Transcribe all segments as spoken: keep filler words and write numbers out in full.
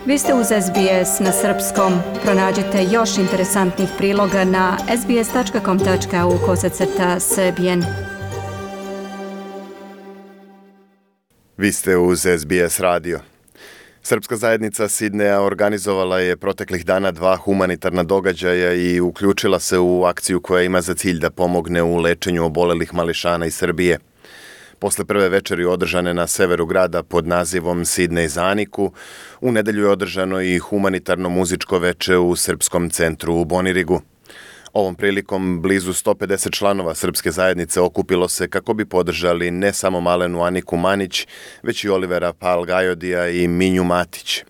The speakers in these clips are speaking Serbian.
Vi ste uz S B S na srpskom. Pronađite još interesantnih priloga na sbs.com.au kosacrta srbijen. Vi ste uz S B S radio. Srpska zajednica Sidneja organizovala je proteklih dana dva humanitarna događaja i uključila se u akciju koja ima za cilj da pomogne u lečenju obolelih mališana iz Srbije. Posle prve večeri održane na severu grada pod nazivom Sidnej za Aniku, u nedelju je održano i humanitarno muzičko veče u Srpskom centru u Bonirigu. Ovom prilikom blizu sto pedeset članova Srpske zajednice okupilo se kako bi podržali ne samo malenu Aniku Manić, već i Olivera Palgajodija i Minju Matić.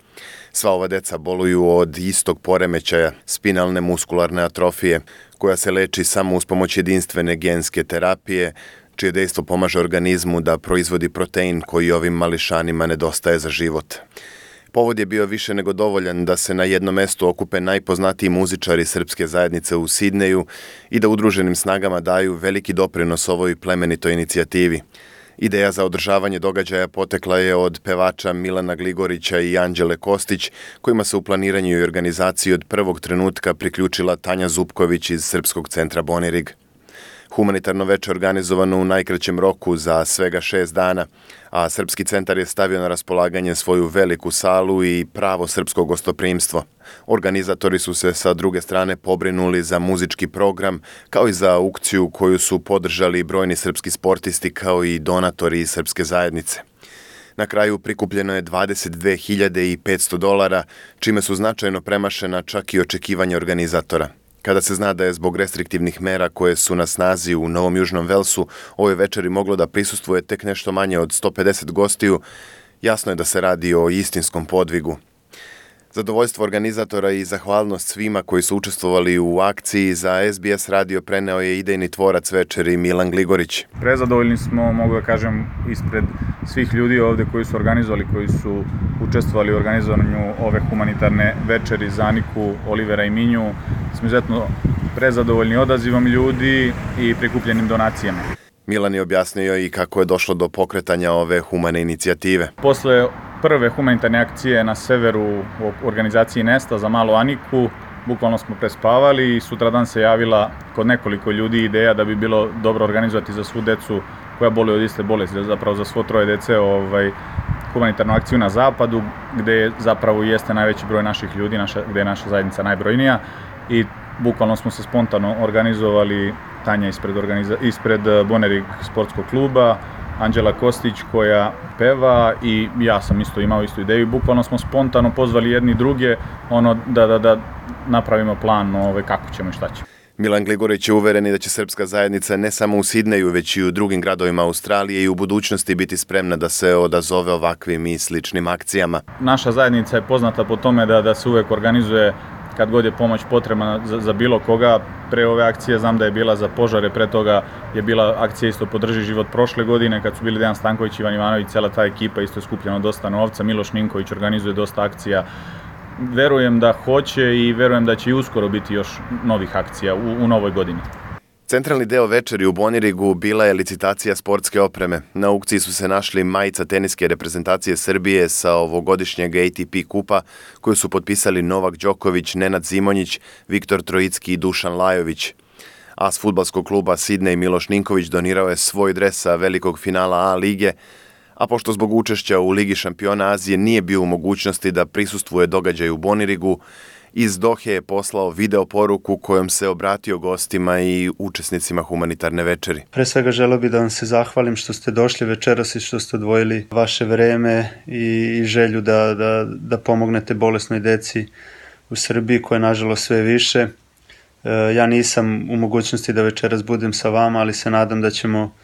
Sva ova deca boluju od istog poremećaja, spinalne muskularne atrofije, koja se leči samo uz pomoć jedinstvene genske terapije, čije dejstvo pomaže organizmu da proizvodi protein koji ovim mališanima nedostaje za život. Povod je bio više nego dovoljan da se na jednom mestu okupe najpoznatiji muzičari Srpske zajednice u Sidneju i da udruženim snagama daju veliki doprinos ovoj plemenitoj inicijativi. Ideja za održavanje događaja potekla je od pevača Milana Gligorića i Anđele Kostić, kojima se u planiranju i organizaciji od prvog trenutka priključila Tanja Zupković iz Srpskog centra Bonirig. Humanitarno veče organizovano u najkraćem roku za svega šest dana, a Srpski centar je stavio na raspolaganje svoju veliku salu i pravo srpsko gostoprimstvo. Organizatori su se sa druge strane pobrinuli za muzički program, kao i za aukciju koju su podržali brojni srpski sportisti kao i donatori iz Srpske zajednice. Na kraju prikupljeno je dvadeset dve hiljade petsto dolara, čime su značajno premašena čak i očekivanja organizatora. Kada se zna da je zbog restriktivnih mera koje su na snazi u Novom Južnom Velsu ovoj večeri moglo da prisustvuje tek nešto manje od sto pedeset gostiju, jasno je da se radi o istinskom podvigu. Zadovoljstvo organizatora i zahvalnost svima koji su učestvovali u akciji za S B S radio preneo je idejni tvorac večeri Milan Gligorić. Prezadovoljni smo, mogu da kažem, ispred svih ljudi ovde koji su organizovali, koji su učestvovali u organizovanju ove humanitarne večeri za Aniku, Olivera i Minju. Smo izuzetno prezadovoljni odazivom ljudi i prikupljenim donacijama. Milan je objasnio i kako je došlo do pokretanja ove humane inicijative. Posle prve humanitarne akcije na severu u organizaciji Nesta za malu Aniku, bukvalno smo prespavali i sutradan se javila kod nekoliko ljudi ideja da bi bilo dobro organizovati za svu decu koja boluje od iste bolesti, zapravo za svo troje dece ovaj, humanitarnu akciju na zapadu, gde zapravo jeste najveći broj naših ljudi, naša, gde je naša zajednica najbrojnija i bukvalno smo se spontano organizovali, Tanja ispred, organiza, ispred Bonerig sportskog kluba, Anđela Kostić koja peva i ja sam isto imao istu ideju. Bukvalno smo spontano pozvali jedni druge ono, da, da, da napravimo plan ove, kako ćemo i šta ćemo. Milan Gligorić je uveren da će Srpska zajednica ne samo u Sidneju, već i u drugim gradovima Australije i u budućnosti biti spremna da se odazove ovakvim i sličnim akcijama. Naša zajednica je poznata po tome da, da se uvek organizuje kad god je pomoć potrebna za, za bilo koga. Pre ove akcije znam da je bila za požare, pre toga je bila akcija isto Podrži život prošle godine, kad su bili Dejan Stanković, Ivan Ivanović, cela ta ekipa, isto je skupljeno dosta novca, Miloš Ninković organizuje dosta akcija. Verujem da hoće i verujem da će i uskoro biti još novih akcija u, u novoj godini. Centralni deo večeri u Bonirigu bila je licitacija sportske opreme. Na aukciji su se našli majica teniske reprezentacije Srbije sa ovogodišnjeg A T P kupa koju su potpisali Novak Đoković, Nenad Zimonjić, Viktor Trojicki i Dušan Lajović. As fudbalskog kluba Sidnej Miloš Ninković donirao je svoj dres sa velikog finala A lige, a pošto zbog učešća u Ligi šampiona Azije nije bio u mogućnosti da prisustvuje događaju u Bonirigu, iz Dohe je poslao video poruku kojom se obratio gostima i učesnicima humanitarne večeri. Pre svega želeo bih da vam se zahvalim što ste došli večeras i što ste odvojili vaše vreme i, i želju da, da, da pomognete bolesnoj deci u Srbiji koja je nažalost sve više. E, ja nisam u mogućnosti da večeras budem sa vama, ali se nadam da ćemo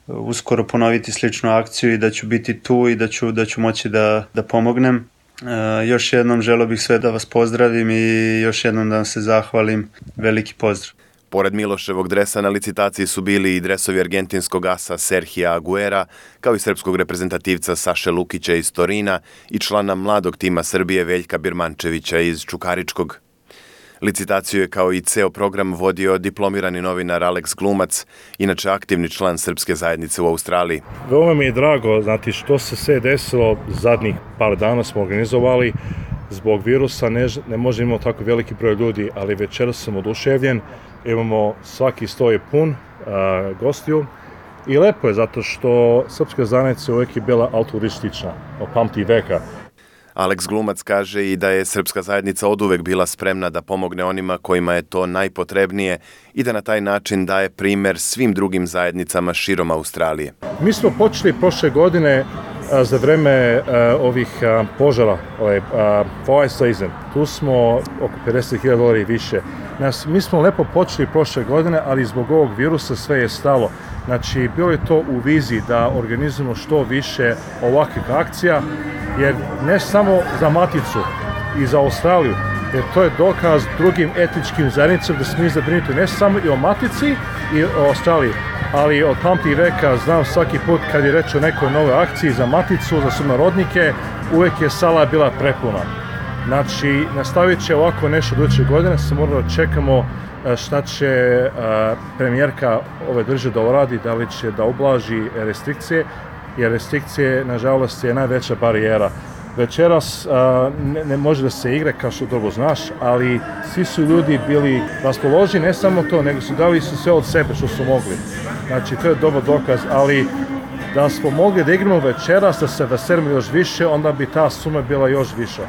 uskoro ponoviti sličnu akciju i da ću biti tu i da ću, da ću moći da, da pomognem. E, još jednom želeo bih sve da vas pozdravim i još jednom da vam se zahvalim. Veliki pozdrav. Pored Miloševog dresa na licitaciji su bili i dresovi argentinskog asa Serhija Aguera, kao i srpskog reprezentativca Saše Lukića iz Torina i člana mladog tima Srbije Veljka Birmančevića iz Čukaričkog. Licitaciju je kao i ceo program vodio diplomirani novinar Alex Glumac, inače aktivni član Srpske zajednice u Australiji. Veoma mi je drago, znati što se sve desilo, zadnjih par dana smo organizovali zbog virusa ne, ne može imati tako veliki broj ljudi, ali večeras sam oduševljen, imamo svaki sto je pun a, gostiju i lepo je zato što srpska zajednica uvijek je bila altruistična, od pamti veka. Alex Glumac kaže i da je srpska zajednica oduvek bila spremna da pomogne onima kojima je to najpotrebnije i da na taj način daje primer svim drugim zajednicama širom Australije. Mi smo počeli prošle godine a, za vreme a, ovih a, požara, ovaj, a, fire season. Tu smo oko pedeset hiljada dolara i više. Nas, mi smo lepo počeli prošle godine, ali zbog ovog virusa sve je stalo. Znači, bilo je to u viziji da organizujemo što više ovakvih akcija, jer ne samo za Maticu i za Australiju, jer to je dokaz drugim etničkim zajednicama da smo mi zabrinuti ne samo i o Matici i o Australiji, ali od pamti veka znam svaki put kad je reč o nekoj nove akciji za Maticu, za sunarodnike, uvek je sala bila prepuna. Znači, nastavit će ovako nešto do iduće godine, se moramo da čekamo šta će premijerka ove države da uradi, da li će da ublaži restrikcije, jer restrikcije, nažalost, je najveća barijera. Večeras ne, ne može da se igra, kao što dobro znaš, ali svi su ljudi bili raspoloženi, ne samo to, nego su dali su sve od sebe što su mogli. Znači, to je dobar dokaz, ali da smo mogli da igramo večeras, da se veselimo još više, onda bi ta suma bila još viša.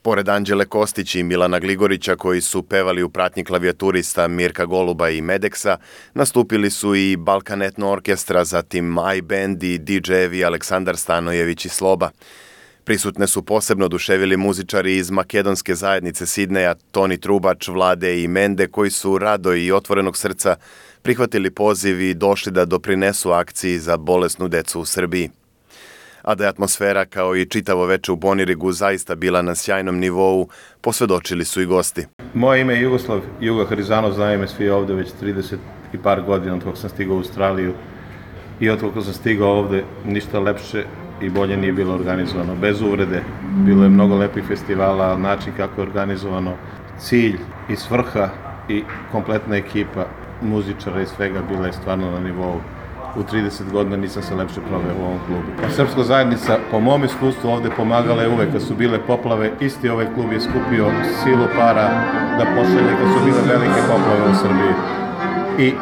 Pored Anđele Kostić i Milana Gligorića, koji su pevali u pratnji klavijaturista Mirka Goluba i Medeksa, nastupili su i Balkan Etno Orkestra, zatim iBand i didžejevi Aleksandar Stanojević i Sloba. Prisutne su posebno oduševili muzičari iz makedonske zajednice Sidneja, Toni Trubač, Vlade i Mende, koji su rado i otvorenog srca prihvatili poziv i došli da doprinesu akciji za bolesnu decu u Srbiji. A da je atmosfera kao i čitavo veče u Bonirigu zaista bila na sjajnom nivou, posvedočili su i gosti. Moje ime je Jugoslav Juga Harizanov, znaju me svi ovde već trideset i par godina od kako sam stigao u Australiju i od kako sam stigao ovde ništa lepše i bolje nije bilo organizovano. Bez uvrede, bilo je mnogo lepih festivala, ali način kako je organizovano, cilj i svrha i kompletna ekipa muzičara i svega bila je stvarno na nivou. U trideset godina nisam se lepše proveo u ovom klubu. Srpska zajednica, po mom iskustvu, ovde pomagala je uvek kad su bile poplave. Isti ovaj klub je skupio silu para da pošalje kad su bile velike poplave u Srbiji. I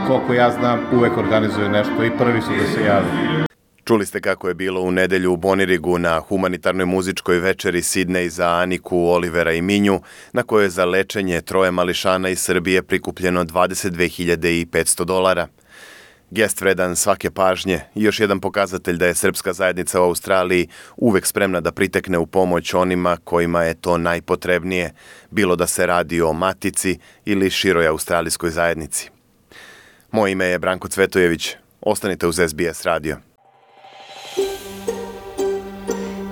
koliko ja znam, uvek organizuje nešto i prvi su da se javi. Čuli ste kako je bilo u nedelju u Bonirigu na humanitarnoj muzičkoj večeri Sidnej za Aniku, Olivera i Minju, na kojoj je za lečenje troje mališana iz Srbije prikupljeno dvadeset dve hiljade petsto dolara. Gest vredan svake pažnje i još jedan pokazatelj da je srpska zajednica u Australiji uvek spremna da pritekne u pomoć onima kojima je to najpotrebnije, bilo da se radi o Matici ili široj australijskoj zajednici. Moje ime je Branko Cvetojević. Ostanite uz S B S radio.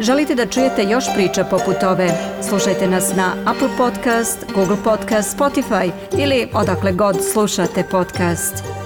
Želite da čujete još priča poput ove? Slušajte nas na Apple Podcast, Google Podcast, Spotify ili odakle god slušate podcast.